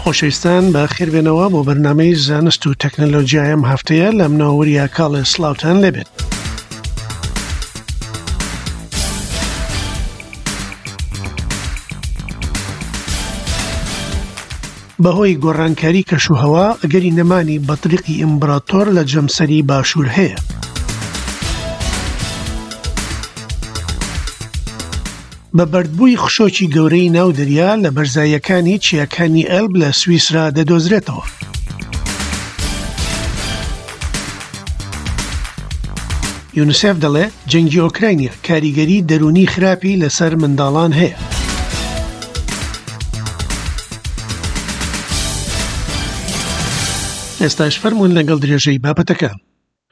خۆشەویستان بە خێربێنەوە بۆ بەرنامەی زانست و تەکنەلۆجیای ئەم هەفتەیە لە منەوە وریا کاڵێ سڵاوتان لێبێت. بەهۆی گۆڕانکاری کەشوهەوا ئەگەری نەمانی بەتریقی ئیمبراتۆر لە جەمسەری باشوور هەیە. بە بەردبووی خشۆکی گەورەی ناو دەریا لە بەرزاییەکانی چیاکانی ئەلب لە سویسرا دەدۆزرێتەوە. یونسێف دەڵێ جەنگی ئۆکراینیا کاریگەری دەروونی خراپی لەسەر منداڵان هەیە. ئێستاش فەرموون لەگەڵ درێژەی بابەتەکە.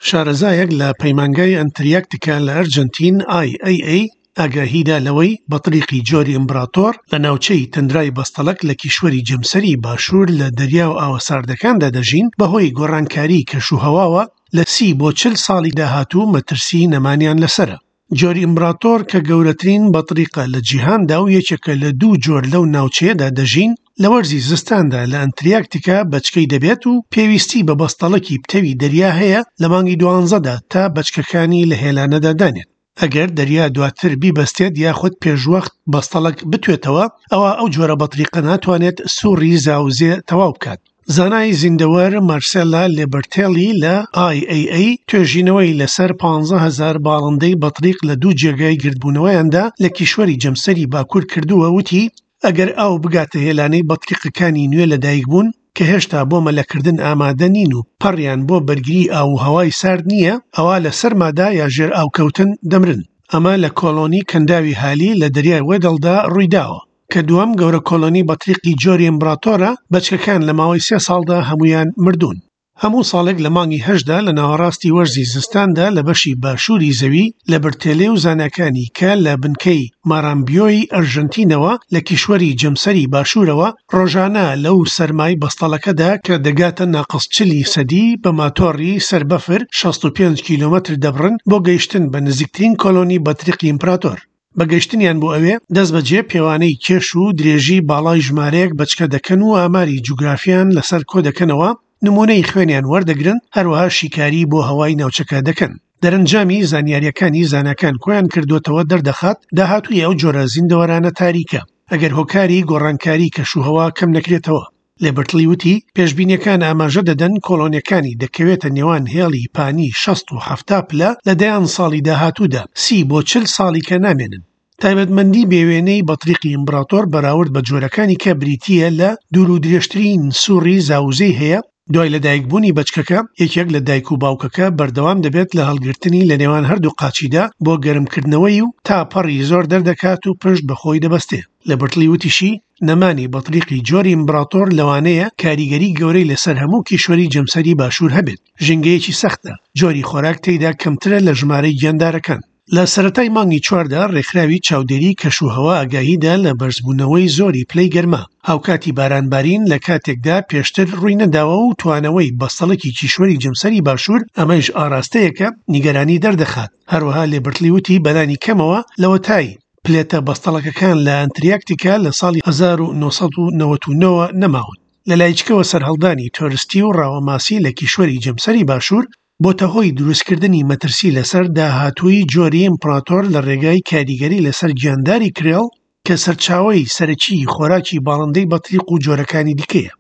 شارەزایەک لە پەیمانگای ئەنتریاکتیکا لە ئەرجەنتین، IAA، ئاگاهیدا لەوەی بەتریقی جۆری ئیمبراتۆر لە ناوچەی تەندرای بەستەڵەک لە کیشوەری جەمسەری باشوور لە دەریا و ئاوە ساردەکاندا دەژین، بەهۆی گۆڕانکاریی کەشوهەواوە لە 30 بۆ 40 ساڵی داهاتوو مەترسیی نەمانیان لەسەرە. جۆری ئیمبراتۆر کە گەورەترین بەتریقە لە جیهاندا و یەکێکە لە دوو جۆر لەو ناوچەیەدا دەژین، لە وەرزی زستاندا لە ئەنتریاکتیکا بەچکەی دەبێت و پێویستی بە بەستەڵەکی پتەوی دەریا هەیە لە مانگی دوانزەدا تا بەچکەکانی لە هێلانەدا دانێت. ئەگەر دەریا دواتر بیبەستێت یاخود پێشوەخت بەستەڵەک بتوێتەوە، ئەوا ئەو جۆرە بەتریقە ناتوانێت سوڕی زاوزێ تەواو بکات. زانای زیندەوەر مارسێلا لێبەرتێلی لە IAA توێژینەوەی لەسەر 15,000 باڵندەی بەتریق لە دوو جێگای گردبوونەوەیاندا لە کیشوەری جەمسەری باکوور کردووە وتی ئەگەر ئاو بگاتە هێلانەی بەتریقەکانی نوێ لەدایکبوون کە هێشتا بۆ مەلەکردن ئامادە نین و پەڕیان بۆ بەرگری ئاو و هەوای سارد نییە ئەوا لە سەرمادا یا ژێر ئاوکەوتن دەمرن. ئەمە لە کۆلۆنی کەنداوی هالی لە دەریای وێدڵدا ڕوویداوە. کە دووەم گەورە کۆلۆنی بەتریقی جۆری ئیمبراتۆرە، بەچکەکان لە ماوەی سێ ساڵدا هەموویان مردوون. هەموو ساڵێک لە مانگی هەشتدا لە ناوەڕاستی وەرزی زستاندا لە بەشی باشووری زەوی لە برتێلێ و زاناکانی کە لە بنکەی مارامبیۆی ئەرژەنتینەوە لە کیشوەری جەمسەری باشوورەوە ڕۆژانە لەو سەرمای بەستەڵەکەدا کە دەگاتە ناقس چلی سەدی بە ماتۆڕی سەر بەفر 65 کیلۆمەتر دەبڕن بۆ گەیشتن بە نزیکترین کۆلۆنی بەتریقی ئیمپراتۆر. بە گەیشتنیان بۆ ئەوێ، دەستبەجێ پێوانەی کێش و درێژی باڵای ژمارەیەک بەچکە دەکەن و ئاماری جوگرافیان لەسەر کۆدەکەنەوە، نموونەی خوێنیان وەردەگرن، هەروەها شیکاری بۆ هەوای ناوچەکە دەکەن. دەرەنجامی زانیارییەکانی زاناکان کۆیان کردووەتەوە دەردەخات داهاتووی ئەو جۆرە زیندەوەرانە تاریکە، ئەگەر هۆکاری گۆڕانکاری کەشوهەوا کەم نەکرێتەوە. لێبرتڵی وتی، پێشبینییەکان ئاماژە دەدەن کۆڵۆنییەکانی دەکەوێتە نێوان هێڵی پانی 60 و 70 پلە لە دەیان ساڵی داهاتوودا، 30 بۆ 40 ساڵی کە نامێنن. تایبەتمەندی بێوێنەی بەتریقی ئیمبراتۆر بەراورد بە جۆرەکانی کە بریتییە لە دوور و درێژترین سوڕی زاوزێی هەیە، دوای لەدایکبوونی بەچکەکە، یەکێک لە دایک و باوکەکە بەردەوام دەبێت لە هەڵگرتنی لە نێوان هەردوو قاچیدا بۆ گەرمکردنەوەی و تا پەڕی زۆر دەردەکات و پشت بە خۆی دەبەستێ. لەبرتڵی وتیشی، نەمانی بەتریقی جۆری ئیمبراتۆر لەوانەیە کاریگەری گەورەی لەسەر هەموو کیشوەری جەمسەری باشوور هەبێت، ژینگەیەکی سەختە، جۆری خۆراک تێیدا کەمترە لە ژمارەی گیاندارەکان. لە سەرەتای مانگی چواردا ڕێکخراوی چاودێری کەشوهەوا ئاگاهیدا لە بەرزبوونەوەی زۆری پلەی گەرما، هاوکاتی بارانبارین لە کاتێکدا پێشتر ڕووی نەداوە و توانەوەی بەستەڵەکی کیشوەری جەمسەری باشوور، ئەمەیش ئاراستەیەکە نیگەرانی دەردەخات. هەروەها لێبرتڵی وتی بەلانی کەمەوە لەوەتای پلێتە بەستەڵەکەکان لە ئەنتریاکتیکا لە ساڵی 1999 نەماون. لە لایچکەوە سەرهەڵدانی تۆرستی و ڕاوەماسی لە کیشوەری جەمسەری باشوور بۆتە هۆی دروستکردنی مەترسی لەسەر داهاتووی جۆری ئیمپراتۆر لە ڕێگای کاریگەری لەسەر گیانداری کرێڵ کە سەرچاوەی سەرەکیی خۆراکی باڵندەی بەتریق و جۆرەکانی دیکەیە.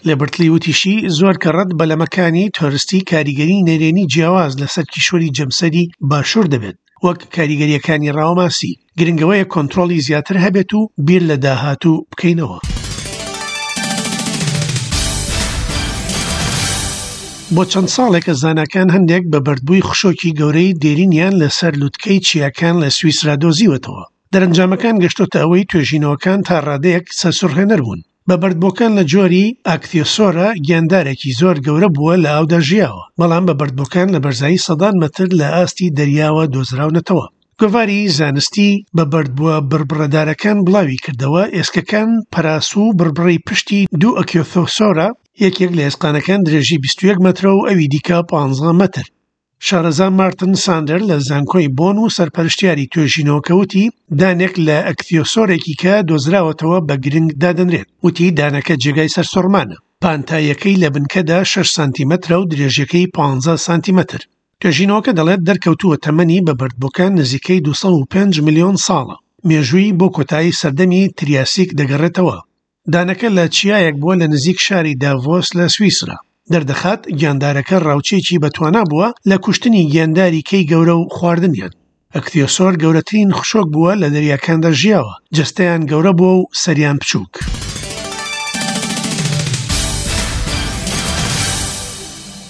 لێبرتلی وتیشی، زۆر کەڕەت بەلەمەکانی تۆرستی کاریگەری نەرێنی جیاواز لەسەر کیشوەری جەمسەری باشوور دەبێت، وەک کاریگەرییەکانی ڕاوەماسی. گرنگ ئەوەیە کۆنترۆڵی زیاتر هەبێت و بیر لە داهاتوو بکەینەوە. بۆ چەند ساڵێکە زاناکان هەندێک بە بەردبووی خشۆکی گەورەی دێرینیان لەسەر لوتکەی چیاکان لە سویسرا دۆزیوەتەوە. دەرەنجامەکان گەشتۆتە ئەوەی توێژینەوەکان تا ڕادەیەک سەرسوڕهێنەر بوون. بە بەردبووەکان لە جۆری ئاکتیۆسۆرە گیاندارێکی زۆر گەورە بووە لە ئاودا ژیاوە، بەڵام بە بەردبووەکان لە بەرزایی سەدان مەتر لە ئاستی دەریاوە دۆزراونەتەوە. گۆڤاری زانستی بە بەردبووە بڕبڕەدارەکان بڵاوی کردەوە، ئێسکەکان پەراسوو و بڕبڕەی پشتی دوو ئەکیۆثۆسۆرە، یەکێک لە ئێسقانەکان درێژی 21 مەترە و ئەوی دیکە 15 مەتر. شارەزا مارتن ساندەر لە زانکۆی بۆن و سەرپەرشتیاری توێژینەوەکە وتی دانێک لە ئەکتیۆسۆرێکی کە دۆزراوەتەوە بە گرنگ دادەنرێت. وتی دانەکە جێگای سەرسوڕمانە. پانتاییەکەی لە بنکەدا 6 سانتیمەترە و درێژیەکەی 15 سانتیمەتر. توێژینەوەکە دەڵێت دەرکەوتووە تەمەنی بە بەردبووەکان نزیکەی 205 ملیۆن ساڵە. مێژووی بۆ کۆتایی سەردەمی تریاسیک دەگەڕێتەوە. دانەکە لە چیایەک بووە لە نزیک شاری داڤۆس لە سویسرا. دەردەخات گیاندارەکە ڕاوچییەکی بەتوانا بووە لە کوشتنی گیانداری کەی گەورە و خواردنیان. ئەکتیۆسۆر گەورەترین خشۆک بووە لە دەریاکاندا ژیاوە، جەستەیان گەورە بووە و سەریان بچووک.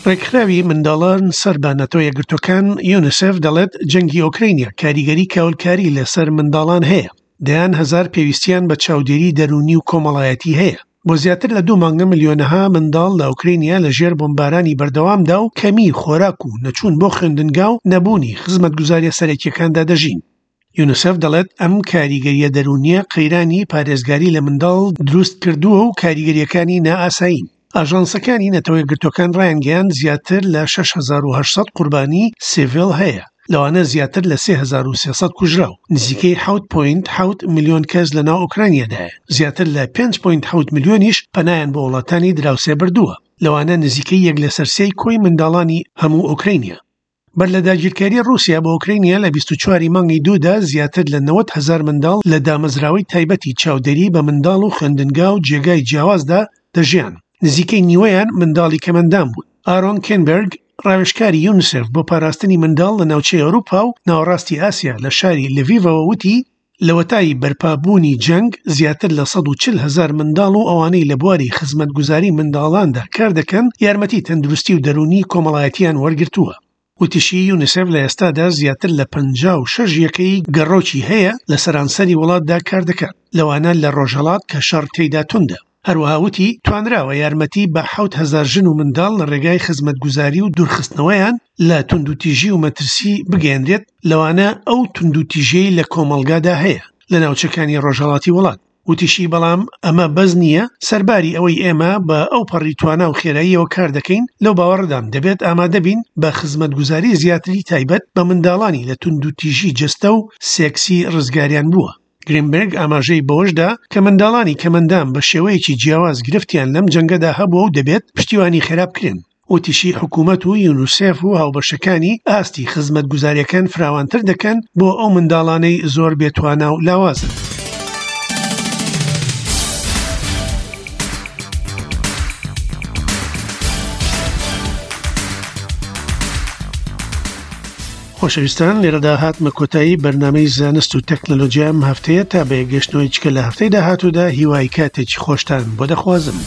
ڕێکخراوی منداڵان سەر بە نەتەوە یەکگرتووەکان، یونیسێف، دەڵێت جەنگی ئۆکرەینیا کاریگەری کاولکاری لەسەر منداڵان هەیە. دەیان هەزار پێویستیان بە چاودێری دەروونی و کۆمەڵایەتی هەیە. بۆ زیاتر لە دوو مانگە ملیۆنەها منداڵ لە ئۆکرەینیا لە ژێر بۆمبارانی بەردەوامدا و کەمیی خۆراک و نەچوون بۆ خوێندنگا و نەبوونی خزمەتگوزارییە سەرەکییەکاندا دەژین. یونیسێف دەڵێت ئەم کاریگەرییە دەروونییە قەیرانی پارێزگاری لە منداڵ دروست کردووە و کاریگەرییەکانی نائاسایین. ئاژانسەکانی نەتەوە یەکگرتووەکان ڕایانگەیاند زیاتر لە 6800 قوربانی سیڤیل هەیە، لەوانە زیاتر لە 3300 کوژراو، نزیکەی 7.7 ملیۆن کەس لەناو ئۆکرانیادایە، زیاتر لە 5.7 ملیۆنیش پەنایان بۆ وڵاتانی دراوسێ بردووە، لەوانە نزیکەی یەک لەسەر سێی کۆی منداڵانی هەموو ئۆکرانیا. بەر لە داگیرکاری ڕووسیا بۆ ئۆکرانیا لە 24 ی مانگی دوودا زیاتر لە 90 هەزار منداڵ لە دامەزراوەی تایبەتی چاودێری بە منداڵ و خوێندنگا و جێگای جیاوازدا دەژیان، نزیکەی نیوەیان منداڵی کەمئەندام بوون. ئارۆن کێنبێرگ، ڕاوێژکاری یونیسێف بۆ پاراستنی منداڵ لە ناوچەی ئەوروپا و ناوەڕاستی ئاسیا لە شاری لڤیڤەوە وتی، لەوەتای بەرپابوونی جەنگ، زیاتر لە 140 هەزار منداڵ و ئەوانەی لە بواری خزمەتگوزاری منداڵاندا کاردەکەن یارمەتی تەندروستی و دەروونی کۆمەڵایەتیان وەرگرتووە. وتیشی، یونیسێف لە ئێستادا زیاتر لە 56 یەکەی گەڕۆکی هەیە لە سەرانسەری وڵاتدا کاردەکات، لەوانە لە ڕۆژهەڵات کە شەڕ تێیدا توندە. هەروەها وتی، توانراوە یارمەتی بە 7000 ژن و منداڵ لە ڕێگای خزمەتگوزاری و دوورخستنەوەیان لە توندوتیژی و مەترسی بگەیەنرێت، لەوانە ئەو توندوتیژیەی لە کۆمەڵگادا هەیە لە ناوچەکانی ڕۆژهەڵاتی وڵات. وتیشی، بەڵام ئەمە بەس نییە، سەرباری ئەوەی ئێمە بە ئەوپەڕی توانا و خێراییەوە کاردەکەین، لەو باوەڕەدام دەبێت ئامادەبین بە خزمەتگوزاری زیاتری تایبەت بە منداڵانی لە توندوتیژی جەستە و سێکسی ڕزگاریان بووە. گرینبێرگ ئاماژەی بەوەشدا کە منداڵانی کەمئەندام بە شێوەیەکی جیاواز گرفتیان لەم جەنگەدا هەبووە و دەبێت پشتیوانی خێرا بکرێن. وتیشی حکومەت و یونیسێف و هاوبەشەکانی ئاستی خزمەتگوزارییەکان فراوانتر دەکەن بۆ ئەو منداڵانەی زۆر بێتوانا و لاوازن. خۆشەویستان لێرەدا هاتمە کۆتایی بەرنامەی زانست و تەکنەلۆجیا ئەم هەفتەیە تا بە یەکگەشتنەوەی چکە لە هەفتەی داهاتوودا هیوای کاتێکی خۆشتان بۆ دەخوازم.